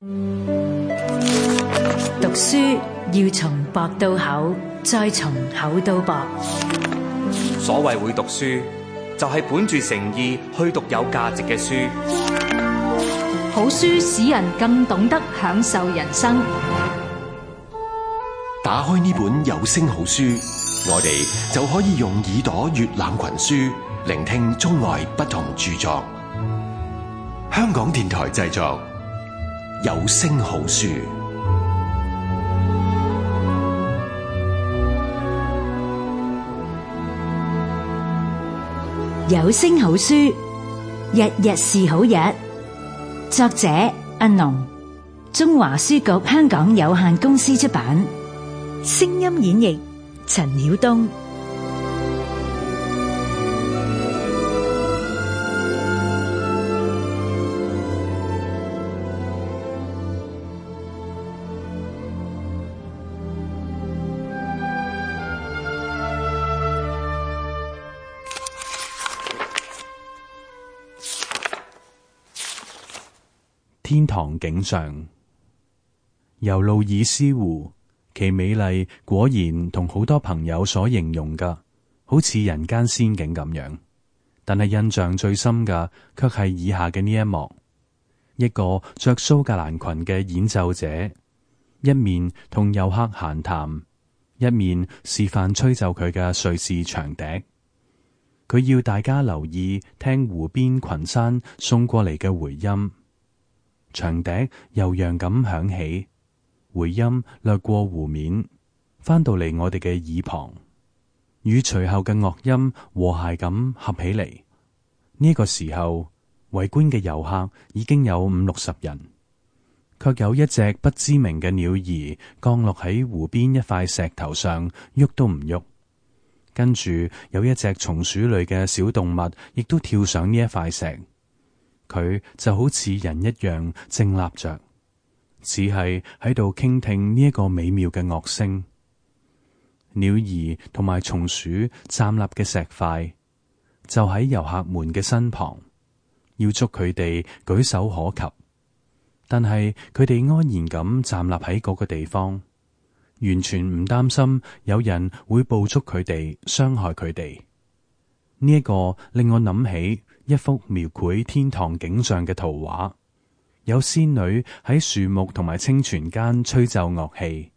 讀書要從薄到厚，再從厚到薄。所謂會讀書，就係本住誠意去讀有價值嘅書。好書使人更懂得享受人生。打開呢本有聲好書，我哋就可以用耳朵閱覽群書，聆聽中外不同著作。香港電台製作，有聲好書。有聲好書，日日是好日。作者阿農，中華書局香港有限公司出版。聲音演繹陳曉東。天堂景象，由路易斯湖，其美麗果然同好多朋友所形容嘅，好似人間仙境咁樣。但係印象最深嘅，卻係以下嘅呢一幕：一個着蘇格蘭裙嘅演奏者，一面同遊客閒談，一面示範吹奏佢嘅瑞士長笛。佢要大家留意聽湖邊群山送過嚟嘅回音。長笛悠揚咁響起，回音掠過湖面，翻到嚟我哋嘅耳旁，與隨後嘅樂音和諧咁合起嚟。呢個時候，圍觀嘅遊客已經有50-60人，卻有一隻不知名嘅鳥兒降落喺湖邊一塊石頭上，喐都唔喐。跟住有一隻松鼠類嘅小動物亦都跳上呢一塊石。佢就好似人一樣靜立着，只係喺度傾聽呢一個美妙嘅樂聲。鳥兒同埋松鼠站立嘅石塊就喺遊客們嘅身旁，要捉佢哋舉手可及，但係佢哋安然咁站立喺嗰個地方，完全唔擔心有人會捕捉佢哋，傷害佢哋。呢一個令我諗起一幅描繪天堂景象嘅圖畫，有仙女喺樹木同埋清泉間吹奏樂器，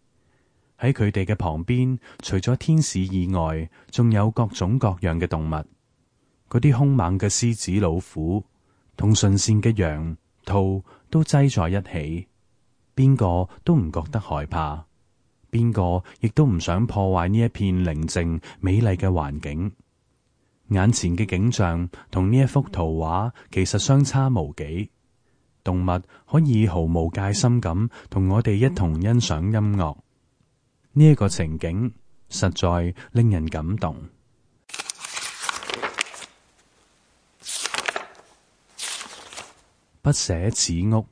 喺佢哋嘅旁邊，除咗天使以外，仲有各種各樣嘅動物，嗰啲兇猛嘅獅子、老虎同馴善嘅羊、兔都擠在一起，邊個都唔覺得害怕，邊個亦都唔想破壞呢一片寧靜美麗嘅環境。眼前嘅景象同呢一幅圖畫其實相差無幾，動物可以毫無戒心咁同我哋一同欣賞音樂，呢一個情景實在令人感動。不捨此屋，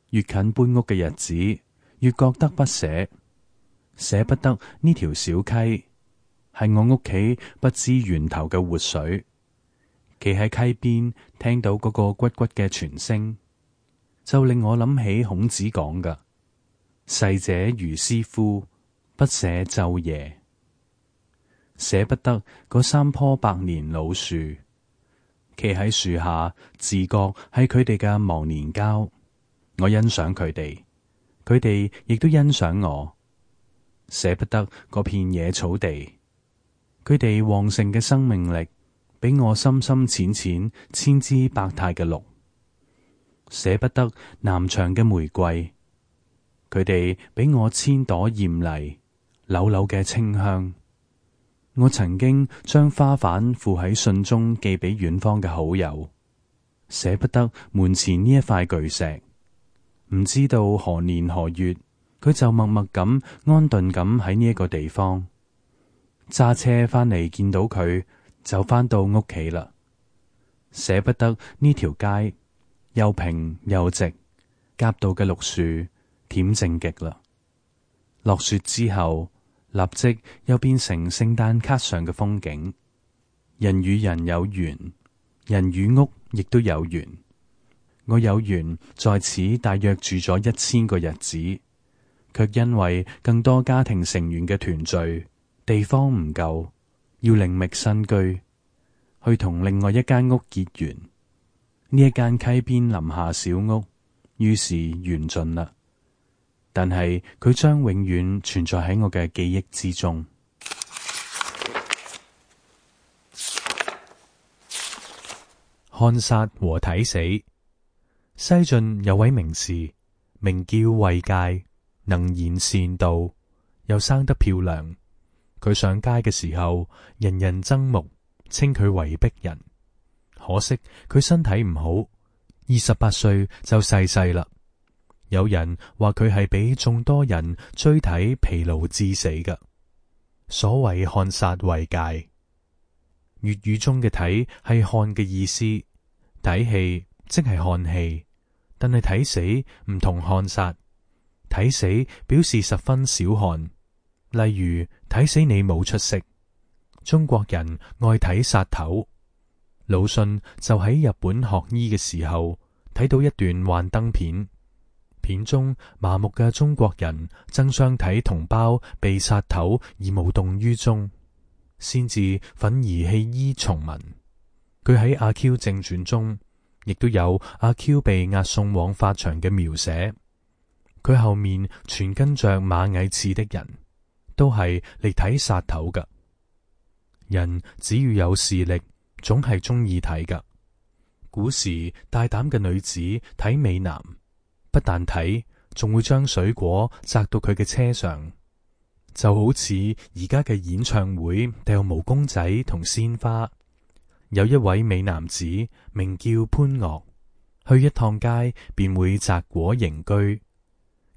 越近搬屋嘅日子，越覺得不捨，捨不得呢條小溪。係我屋企不知源頭嘅活水，企喺溪邊聽到嗰個咕咕嘅泉聲，就令我諗起孔子講嘅：逝者如斯夫，不捨晝夜。捨不得嗰3棵百年老樹，企喺樹下，自覺係佢哋嘅忘年交。我欣賞佢哋，佢哋亦都欣賞我。捨不得嗰片野草地。佢哋旺盛嘅生命力，比我深深淺淺千姿百態嘅綠。捨不得南牆嘅玫瑰，佢哋比我千朵艷麗，柳柳嘅清香。我曾經將花瓣附喺信中寄俾遠方嘅好友，捨不得門前呢一塊巨石。唔知道何年何月，佢就默默咁安頓咁喺呢一個地方。揸車返嚟見到佢，就返到屋企啦。捨不得呢條街又平又直，夾道嘅綠樹恬靜極啦。落雪之後，立即又變成聖誕卡上嘅風景。人與人有緣，人與屋亦都有緣。我有緣在此大約住咗1000個日子，卻因為更多家庭成員嘅團聚，地方唔夠，要另覓新居，去同另外一間屋結緣。呢一間溪邊林下小屋，於是緣盡啦。但係佢將永遠存在喺我嘅記憶之中。看殺和睇死。西晉有位名士，名叫衛介，能言善道，又生得漂亮。佢上街嘅時候，人人憎目，稱佢為璧人。可惜佢身體唔好，28歲就逝世啦。有人話佢係俾眾多人追睇疲勞致死嘅。所謂看殺衛介，粵語中嘅睇係看嘅意思，睇戲即係看戲，但係睇死唔同看殺。睇死表示十分少看，例如睇死你冇出息。中國人愛睇殺頭。魯迅就喺日本學醫嘅時候睇到一段幻燈片，片中麻木嘅中國人爭相睇同胞被殺頭而無動於衷，先至憤而棄醫從文。佢喺《阿 Q 正傳》中亦都有阿 Q 被押送往法場嘅描寫。佢後面全跟着螞蟻似的人，都係嚟睇殺頭㗎。人只要有視力，總係中意睇㗎。古時大膽嘅女子睇美男，不但睇，仲會將水果擲到佢嘅車上，就好似而家嘅演唱會掉毛公仔同鮮花。有一位美男子名叫潘岳，去一趟街便會摘果迎居。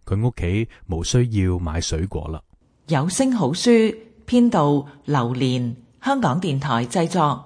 佢屋企無需要買水果啦。有聲好書編導劉蓮，香港電台製作。